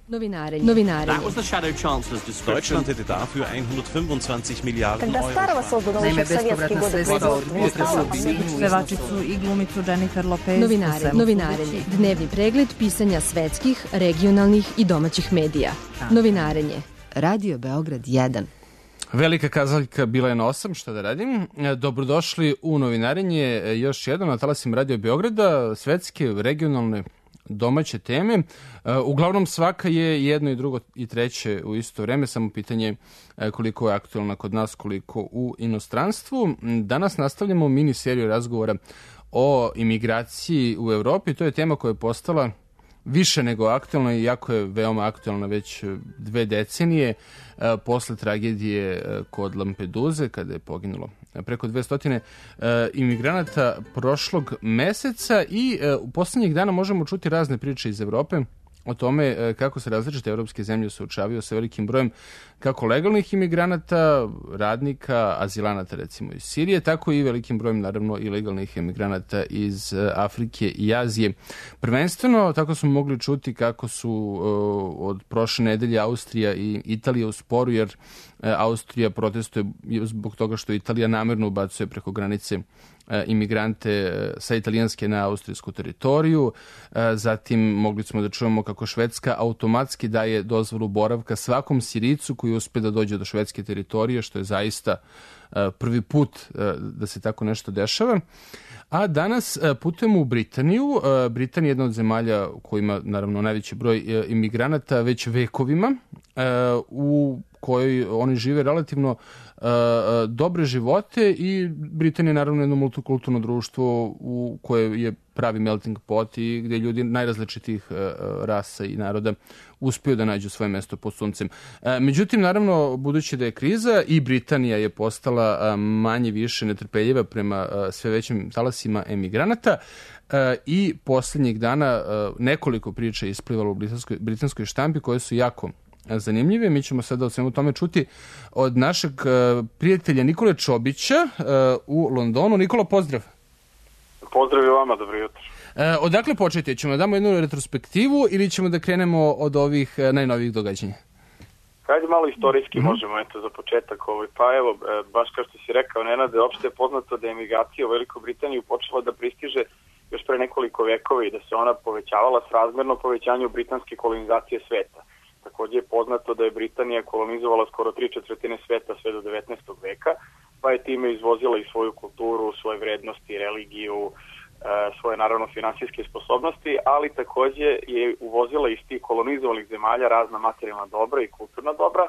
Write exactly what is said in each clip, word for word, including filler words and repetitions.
Novinarenje. Novinarenje. That was the Shadow Chancellor's description. Deutschland hätte dafür hundertfünfundzwanzig Miliarden Euro. Naime, bespovratna sredstva od pevačicu i glumicu Jennifer Lopez. Novinarenje. Novinarenje. Dnevni pregled pisanja svetskih, regionalnih i domaćih medija. Novinarenje. Radio Beograd jedan. Velika kazaljka bila je na osam, šta da radim. Dobrodošli u Novinarenje, još jedno na talasima Radio Beograda, svetske, regionalne, domaće teme. Uglavnom svaka je jedno i drugo i treće u isto vreme, samo pitanje koliko je aktualna kod nas, koliko u inostranstvu. Danas nastavljamo mini seriju razgovora o imigraciji u Evropi. To je tema koja je postala više nego aktualna i jako je veoma aktualna već dve decenije posle tragedije kod Lampeduze kada je poginulo preko dvesta imigranata prošlog meseca i u poslednjih dana možemo čuti razne priče iz Evrope o tome kako se različite evropske zemlje suočavaju sa velikim brojem kako legalnih imigranata, radnika, azilanata recimo iz Sirije, tako i velikim brojem naravno ilegalnih imigranata iz Afrike i Azije. Prvenstveno tako smo mogli čuti kako su uh, od prošle nedelje Austrija i Italija u sporu, jer uh, Austrija protestuje zbog toga što Italija namerno ubacuje preko granice imigrante sa italijanske na austrijsku teritoriju. Zatim mogli smo da čujemo kako Švedska automatski daje dozvolu boravka svakom Sirijicu koji uspe da dođe do švedske teritorije, što je zaista prvi put da se tako nešto dešava. A danas putujemo u Britaniju. Britanija je jedna od zemalja u kojima naravno najveći broj imigranata već vekovima, u kojoj oni žive relativno uh, dobre živote i Britanija je naravno jedno multikulturno društvo u koje je pravi melting pot i gdje ljudi najrazličitih uh, rasa i naroda uspiju da nađu svoje mesto pod suncem. Uh, međutim, naravno, budući da je kriza i Britanija je postala uh, manje više netrpeljiva prema uh, sve većim talasima emigranata, uh, i posljednjih dana uh, nekoliko priča isplivalo u britanskoj, britanskoj štampi koje su jako zanimljive. Mi ćemo sada o svemu tome čuti od našeg uh, prijatelja Nikole Čobića uh, u Londonu. Nikola, pozdrav. Pozdrav i vama, dobro jutro. Uh, odakle početi? Ćemo da damo jednu retrospektivu ili ćemo da krenemo od ovih uh, najnovijih događanja? Hajde malo istorijski mm-hmm. možemo, eto, za početak. Ovaj. Pa evo, baš kao što si rekao, Nenade, opšte je poznato da je emigracija u Velikoj Britaniji počela da pristiže još pre nekoliko vekova i da se ona povećavala srazmerno povećanju britanske kolonizacije sveta. Također je poznato da je Britanija kolonizovala skoro tri četvrtine sveta sve do devetnaestog veka, pa je time izvozila i svoju kulturu, svoje vrednosti, religiju, svoje naravno finansijske sposobnosti, ali također je uvozila iz tih kolonizovanih zemalja razna materijalna dobra i kulturna dobra,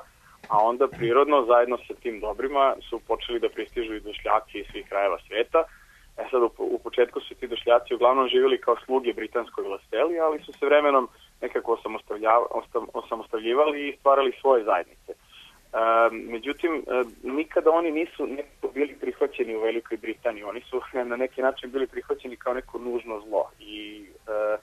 a onda prirodno zajedno sa tim dobrima su počeli da pristižu i došljaci iz svih krajeva sveta. E sad u, u početku su ti došljaci uglavnom živjeli kao sluge britanskoj vlasteli, ali su se vremenom nekako osamostavljivali i stvarali svoje zajednice. E, međutim, e, nikada oni nisu nekako bili prihvaćeni u Velikoj Britaniji. Oni su na neki način bili prihvaćeni kao neko nužno zlo. I e,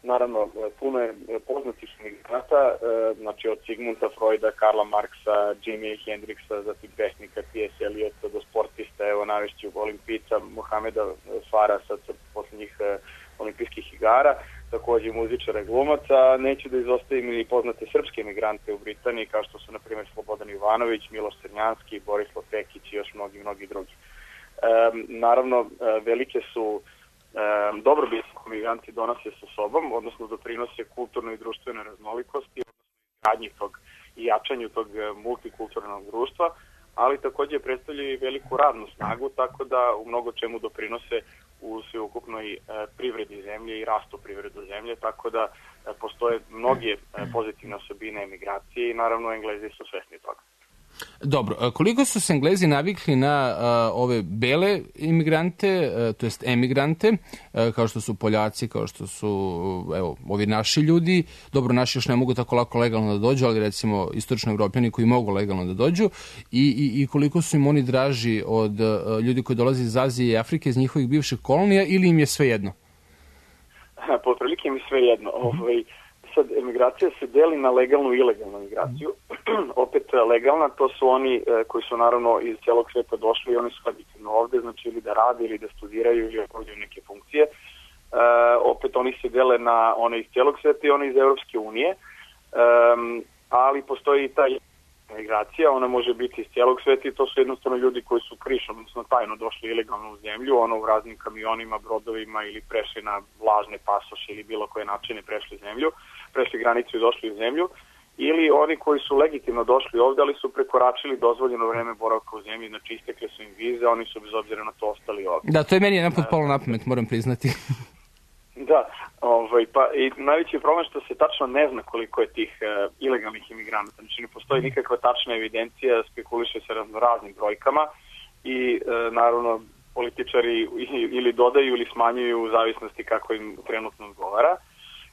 naravno, puno je poznatih imigranata, e, znači od Sigmunda Freuda, Karla Marksa, Jimi Hendrixa, zatim pesnika T S. Eliota, do sportista, evo navešću olimpijica Mohameda Farah sa posljednjih e, olimpijskih igara, također muzičara i glumaca. Neću da izostavim i poznate srpske emigrante u Britaniji, kao što su, na primjer, Slobodan Ivanović, Miloš Crnjanski, Borislav Pekić i još mnogi, mnogi drugi. E, naravno, velike su e, dobrobit emigranti donose sa sobom, odnosno doprinose kulturnoj i društvenoj raznolikosti, odnosno izgradnji tog i jačanju tog multikulturnog društva, ali također predstavljaju i veliku radnu snagu, tako da u mnogo čemu doprinose u sveukupnoj e, privredi zemlje i rastu privredu zemlje, tako da e, postoje mnoge e, pozitivne osobine emigracije i naravno Englezi su svesni toga. Dobro, koliko su se Englezi navikli na a, ove bele imigrante, a, to jest emigrante, a, kao što su Poljaci, kao što su evo, ovi naši ljudi, dobro, naši još ne mogu tako lako legalno da dođu, ali recimo istočno Evropljani koji mogu legalno da dođu, i, i, i koliko su im oni draži od a, ljudi koji dolaze iz Azije i Afrike, iz njihovih bivših kolonija, ili im je sve jedno? Po prilike im je sve jedno. Ovaj, sad, emigracija se deli na legalnu i ilegalnu migraciju. Opet legalna, to su oni e, koji su naravno iz celog sveta došli i oni su legitimno ovde, znači ili da rade ili da studiraju ili obavljaju neke funkcije. E, opet oni se dele na one iz celog sveta i one iz Evropske unije. E, postoji i ta migracija, ona može biti iz cijelog sveta i to su jednostavno ljudi koji su krišom, odnosno tajno došli ilegalno u zemlju, ono u raznim kamionima, brodovima ili prešli na lažne pasoše ili bilo koje načine prešli zemlju, prešli granicu i došli u zemlju, ili oni koji su legitimno došli ovdje, ali su prekoračili dozvoljeno vreme boravka u zemlji, znači istekle su im vize, oni su bez obzira na to ostali ovdje. Da, to je meni jedan put palo na pamet, moram priznati. Da, ovaj, pa i najveći problem što se tačno ne zna koliko je tih uh, ilegalnih imigranata, znači ne postoji nikakva tačna evidencija, spekuliše se raznim brojkama i uh, naravno političari ili dodaju ili smanjuju u zavisnosti kako im trenutno odgovara.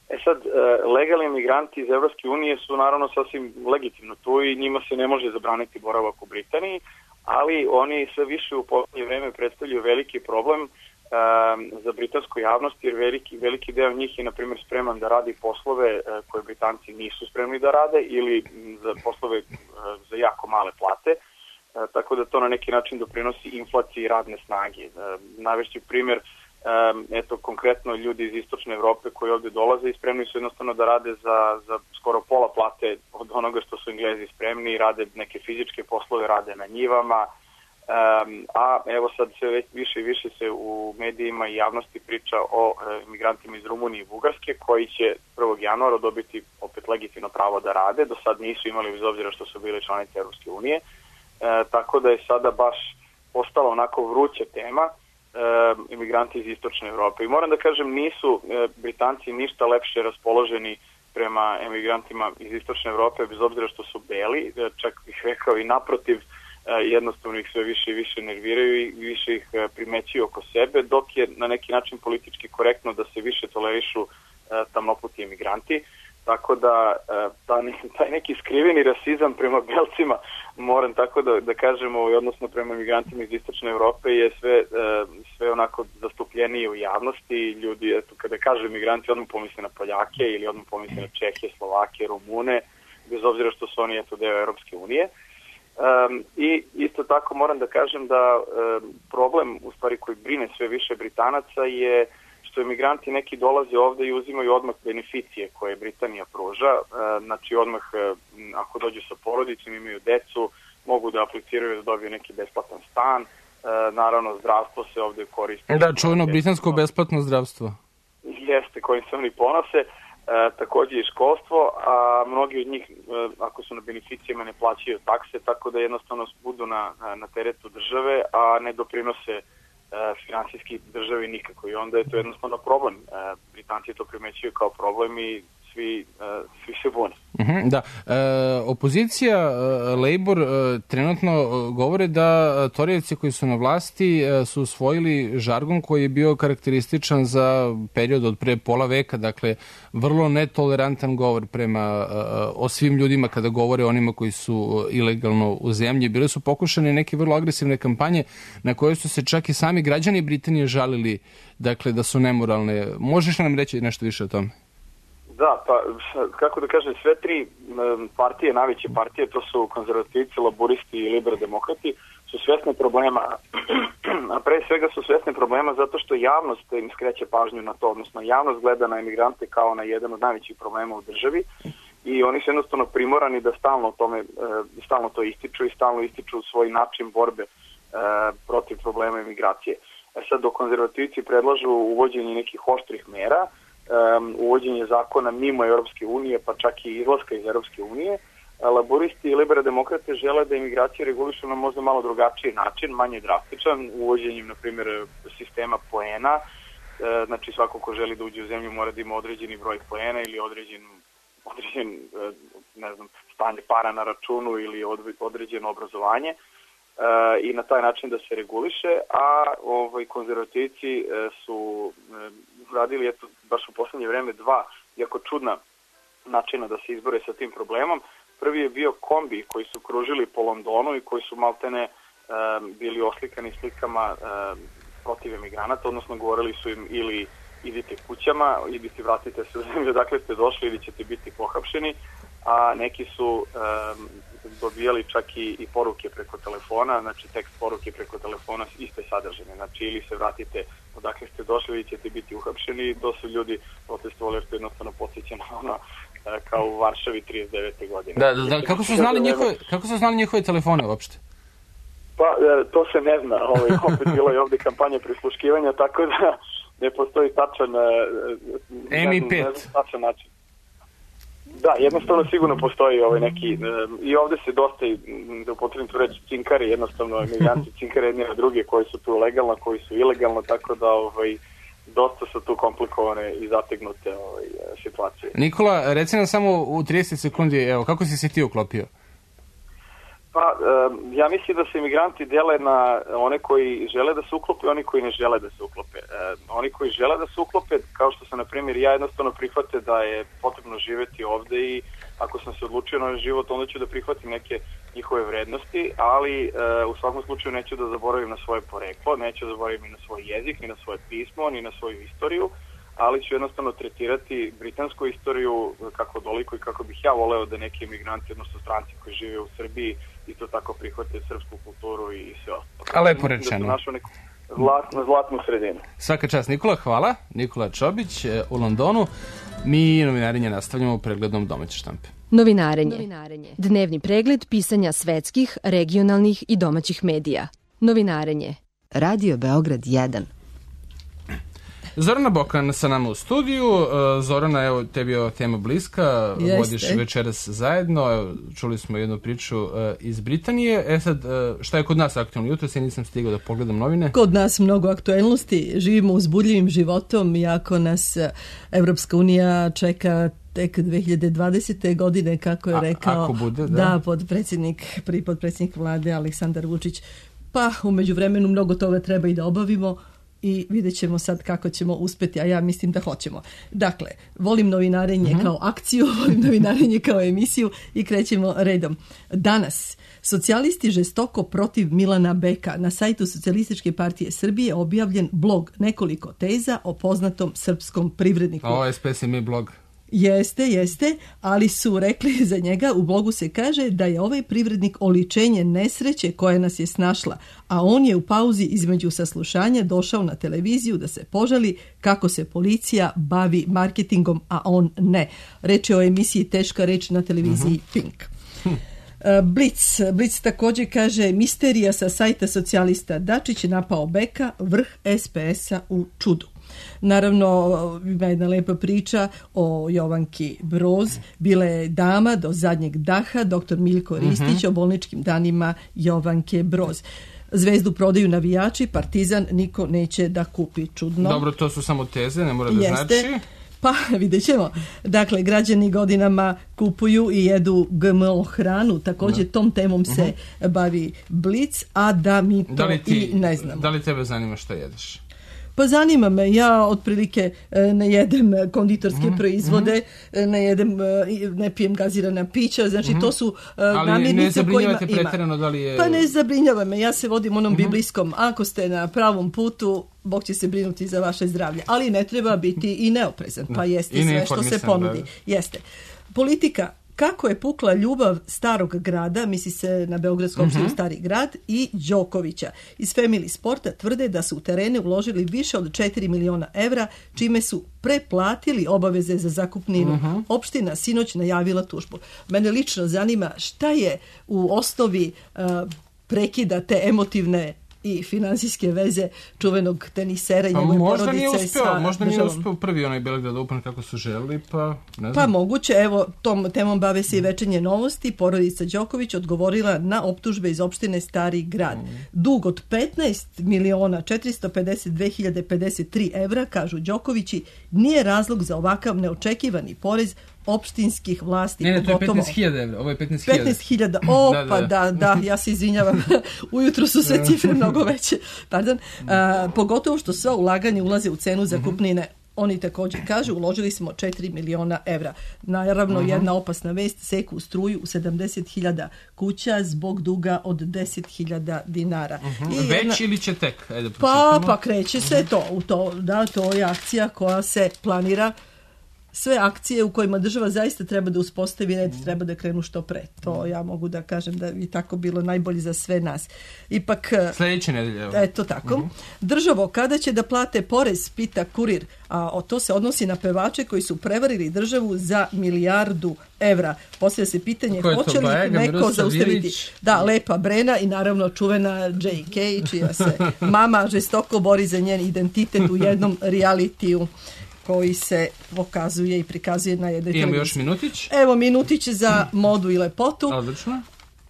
E sad, uh, legalni imigranti iz Evropske unije su naravno sasvim legitimno tu i njima se ne može zabraniti boravak u Britaniji, ali oni sve više u posljednje vreme predstavljaju veliki problem za britansku javnost, jer veliki, veliki deo njih je, na primjer, spreman da radi poslove koje Britanci nisu spremni da rade ili za poslove za jako male plate, tako da to na neki način doprinosi inflaciji radne snage. Navešću primjer, eto, konkretno ljudi iz istočne Evrope koji ovdje dolaze i spremni su jednostavno da rade za, za skoro pola plate od onoga što su Englezi spremni, rade neke fizičke poslove, rade na njivama. Um, a evo sad sve više i više se u medijima i javnosti priča o e, imigrantima iz Rumunije i Bugarske koji će prvog januara dobiti opet legitimno pravo da rade, do sad nisu imali bez obzira što su bili članice Europske unije, e, tako da je sada baš postala onako vruća tema e, imigranti iz istočne Evrope. I moram da kažem, nisu e, Britanci ništa lepše raspoloženi prema emigrantima iz istočne Evrope, bez obzira što su beli, čak bih rekao i naprotiv, jednostavno ih sve više i više nerviraju i više ih primećuju oko sebe, dok je na neki način politički korektno da se više tolerišu tamnoputi emigranti. Tako da taj neki skriveni rasizam prema belcima, moram tako da, da kažemo, odnosno prema emigrantima iz istočne Evrope je sve, sve onako zastupljenije u javnosti. Ljudi, eto, kada kažu emigranti, odmah pomisle na Poljake ili odmah pomisle na Čehe, Slovake, Rumune, bez obzira što su oni eto deo Europske unije. Um, I isto tako moram da kažem da um, problem u stvari koji brine sve više Britanaca je što emigranti neki dolaze ovde i uzimaju odmah beneficije koje Britanija pruža, uh, znači odmah uh, ako dođu sa porodicom, imaju decu, mogu da apliciraju da dobiju neki besplatan stan, uh, naravno zdravstvo se ovde koristi. Da, čuveno britansko besplatno zdravstvo. Jeste, kojim se oni ponose. E, također i školstvo, a mnogi od njih, e, ako su na beneficijama, ne plaćaju takse, tako da jednostavno budu na, na teretu države, a ne doprinose e, finansijski državi nikako. I onda je to jednostavno problem. E, Britanci to primećuju kao problem i svi, e, svi se bune. Uh-huh, da. E, opozicija, e, Labour, e, trenutno govore da Torijevci koji su na vlasti e, su usvojili žargon koji je bio karakterističan za period od pre pola veka, dakle vrlo netolerantan govor prema e, o svim ljudima kada govore o onima koji su ilegalno u zemlji. Bile su pokušane neke vrlo agresivne kampanje na koje su se čak i sami građani Britanije žalili, dakle da su nemoralne. Možeš li nam reći nešto više o tome? Da, pa kako da kažem, sve tri partije, najveće partije, to su konzervativci, laburisti i liberaldemokrati, su svesne problema, a pre svega su svesne problema zato što javnost im skreće pažnju na to, odnosno javnost gleda na emigrante kao na jedan od najvećih problema u državi i oni su jednostavno primorani da stalno o tome, stalno to ističu i stalno ističu svoj način borbe protiv problema emigracije. Sad, dok konzervativci predlažu uvođenje nekih oštrih mera, Um, uvođenje zakona mimo Europske unije, pa čak i izlaska iz Europske unije, laboristi i liberaldemokrate žele da imigracije regulišu na možda malo drugačiji način, manje drastičan, uvođenjem, na primjer, sistema poena. E, znači, svako ko želi da uđe u zemlju mora da ima određeni broj poena ili određen, određen ne znam, stanje para na računu ili određeno obrazovanje e, i na taj način da se reguliše, a ovaj, konzervativci e, su e, radili eto, baš u poslednje vreme dva jako čudna načina da se izbore sa tim problemom. Prvi je bio kombi koji su kružili po Londonu i koji su maltene um, bili oslikani slikama um, protiv emigranata, odnosno govorili su im ili idite kućama, idite vratite se u zemlju dakle ste došli ili ćete biti pohapšeni, a neki su um, dobijali čak i, i poruke preko telefona, znači tekst poruke preko telefona iste sadržine, znači ili se vratite odakle ste došli ili ćete biti uhapšeni. To su ljudi protestovali jer to jednostavno podsjeća na ono kao u Varšavi trideset devete godine. Da, da, da. Kako su znali njihove, kako su znali njihove telefone uopšte? Pa, to se ne zna. Ovaj, opet bilo je ovde kampanja prisluškivanja, tako da ne postoji tačan, M I pet. Ne znam, tačan način. Da, jednostavno sigurno postoji ovaj neki, i ovde se dosta, da upotrebim tu reći, cinkari, jednostavno emigranti cinkari jedni na druge koji su tu legalno, koji su ilegalno, tako da ovaj, dosta su tu komplikovane i zategnute ovaj, situacije. Nikola, reci nam samo u trideset sekundi, evo, kako si se ti uklopio? Pa, ja mislim da se imigranti dele na one koji žele da se uklope i oni koji ne žele da se uklope. Oni koji žele da se uklope, kao što sam, na primjer, ja jednostavno prihvate da je potrebno živeti ovde i ako sam se odlučio na život, onda ću da prihvatim neke njihove vrednosti, ali u svakom slučaju neću da zaboravim na svoje poreklo, neću da zaboravim ni na svoj jezik, ni na svoje pismo, ni na svoju istoriju, ali ću jednostavno tretirati britansku istoriju kako doliko i kako bih ja voleo da neki emigranti, odnosno stranci koji žive u Srbiji, isto tako prihvate srpsku kulturu i sve ostalo. A lepo rečeno. Da su našu neku zlatnu, zlatnu sredinu. Svaka čast, Nikola, hvala. Nikola Čobić u Londonu. Mi novinarenje nastavljamo pregledom domaće štampe. Novinarenje. Novinarenje. Dnevni pregled pisanja svetskih, regionalnih i domaćih medija. Novinarenje. Radio Beograd jedan. Zorana Bokan sa nama u studiju. Zorana, evo, tebi je tema bliska, Jeste. Vodiš večeras zajedno, evo, čuli smo jednu priču iz Britanije. E sad, šta je kod nas aktualno jutro? Se nisam stigao da pogledam novine. Kod nas mnogo aktuelnosti, živimo uzbudljivim životom, iako nas Evropska unija čeka tek dve hiljade dvadesete. godine, kako je rekao, A, ako bude, da. da, podpredsjednik, prvi podpredsjednik vlade Aleksandar Vučić. Pa, u međuvremenu mnogo toga treba i da obavimo, i vidjet ćemo sad kako ćemo uspjeti, a ja mislim da hoćemo. Dakle, volim novinarenje uh-huh. kao akciju, volim novinarenje kao emisiju i krećemo redom. Danas, socijalisti žestoko protiv Milana Beka. Na sajtu Socijalističke partije Srbije objavljen blog nekoliko teza o poznatom srpskom privredniku. A O S P S M I blog. Jeste, jeste, ali su rekli za njega, u blogu se kaže da je ovaj privrednik oličenje nesreće koja nas je snašla, a on je u pauzi između saslušanja došao na televiziju da se požali kako se policija bavi marketingom, a on ne. Reč je o emisiji Teška reč na televiziji uh-huh. Pink. Blic. Blic također kaže misterija sa sajta socijalista. Dačić je napao Beka, vrh S P S-a u čudu. Naravno, ima jedna lepa priča o Jovanki Broz. Bila je dama do zadnjeg daha, doktor Miljko Ristić, uh-huh. o bolničkim danima Jovanke Broz. Zvezdu prodaju navijači, Partizan niko neće da kupi. Čudno. Dobro, to su samo teze, ne mora da Jeste. znači. Pa, vidjet ćemo. Dakle, građani godinama kupuju i jedu G M O hranu. Također da. tom temom se uh-huh. bavi Blic, a da mi to da ti, i ne znamo. Da li tebe zanima što jedeš? Pa zanima me, ja otprilike ne jedem konditorske mm-hmm. proizvode, ne jedem, ne pijem gazirana pića, znači mm-hmm. to su namirnice u kojima ima. Da li je... Pa ne zabrinjava me, ja se vodim onom mm-hmm. biblijskom, ako ste na pravom putu, Bog će se brinuti za vaše zdravlje, ali ne treba biti i neoprezan, pa jeste sve što se ponudi. Da. Jeste. Politika. Kako je pukla ljubav starog grada, misli se na Beogradsku opštinu uh-huh. Stari grad, i Đokovića. Iz Family Sporta tvrde da su u terene uložili više od četiri miliona evra, čime su preplatili obaveze za zakupninu. Uh-huh. Opština sinoć najavila tužbu. Mene lično zanima šta je u osnovi uh, prekida te emotivne i finansijske veze čuvenog tenisera i njegove možda porodice. Nije uspeo, sa možda državom. nije uspeo prvi onaj Beograd Open kako su želeli, pa ne znam. Pa moguće, evo, tom temom bave se i Večernje novosti. Porodica Đoković odgovorila na optužbe iz opštine Stari grad. Mm. Dug od petnaest miliona četiristo pedeset dve hiljade pedeset tri evra, kažu Đokovići, nije razlog za ovakav neočekivani porez opštinskih vlasti. Ne, ne, to je petnaest hiljada evra, ovo je petnaest hiljada. petnaest hiljada, o, da, pa da, da, ja se izvinjavam, ujutro su sve cifre mnogo veće. Pardon. A, pogotovo što sva ulaganja ulaze u cenu zakupnine. Oni također kažu, uložili smo četiri miliona evra. Naravno, uh-huh. jedna opasna vest, seku struju u sedamdeset hiljada kuća zbog duga od deset hiljada dinara. Uh-huh. I Već jedna... ili će tek? Ajde, pa, pa kreće se uh-huh. to, u to. Da, to je akcija koja se planira. sve akcije u kojima država zaista treba da uspostavi red, treba da krenu što pre. To ja mogu da kažem da bi tako bilo najbolje za sve nas. Ipak... Sljedeće nedelje. Eto tako. Uh-huh. Državo, kada će da plate porez, pita Kurir, a to se odnosi na pevače koji su prevarili državu za milijardu evra. Poslije se pitanje hoće li Bajaga, neko Miroslav zaustaviti. Ilić. Da, Lepa Brena i naravno čuvena J K, čija se mama žestoko bori za njen identitet u jednom realitiju koji se pokazuje i prikazuje na jednoj televiziji. Imamo još minutić. Evo minutić za modu i lepotu. Odlično.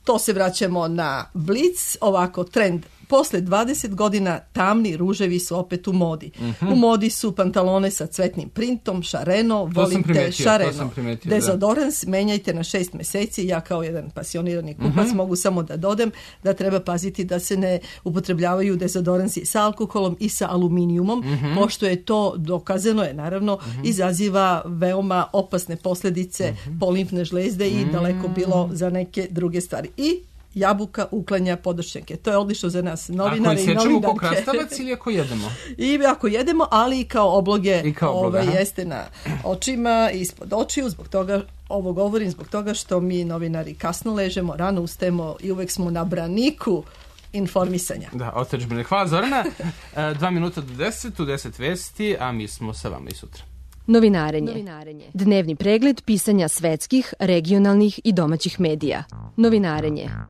To se vraćamo na Blic, ovako trend. Posle dvadeset godina tamni ruževi su opet u modi. Uh-huh. U modi su pantalone sa cvetnim printom, šareno, volite šareno. Dezodorans menjajte na šest meseci. Ja kao jedan pasionirani kupac uh-huh. mogu samo da dodam da treba paziti da se ne upotrebljavaju dezodoransi sa alkoholom i sa aluminijumom, uh-huh. pošto je to dokazano je naravno uh-huh. izaziva veoma opasne posljedice uh-huh. po limfne žlezde i uh-huh. daleko bilo za neke druge stvari. I jabuka uklanja podršnjake. To je odlično za nas novinare i novinarke. Ako sjećamo ko krastavac ili ako jedemo? I ako jedemo, ali i kao obloge, I kao obloge ove, jeste na očima, ispod očiju, zbog toga ovo govorim, zbog toga što mi novinari kasno ležemo, rano ustajemo i uvek smo na braniku informisanja. Da, otačbine. Hvala Zorana. Dva minuta do deset, u deset vesti, a mi smo sa vama i sutra. Novinarenje. Novinarenje. Dnevni pregled pisanja svetskih, regionalnih i domaćih medija. Novinarenje.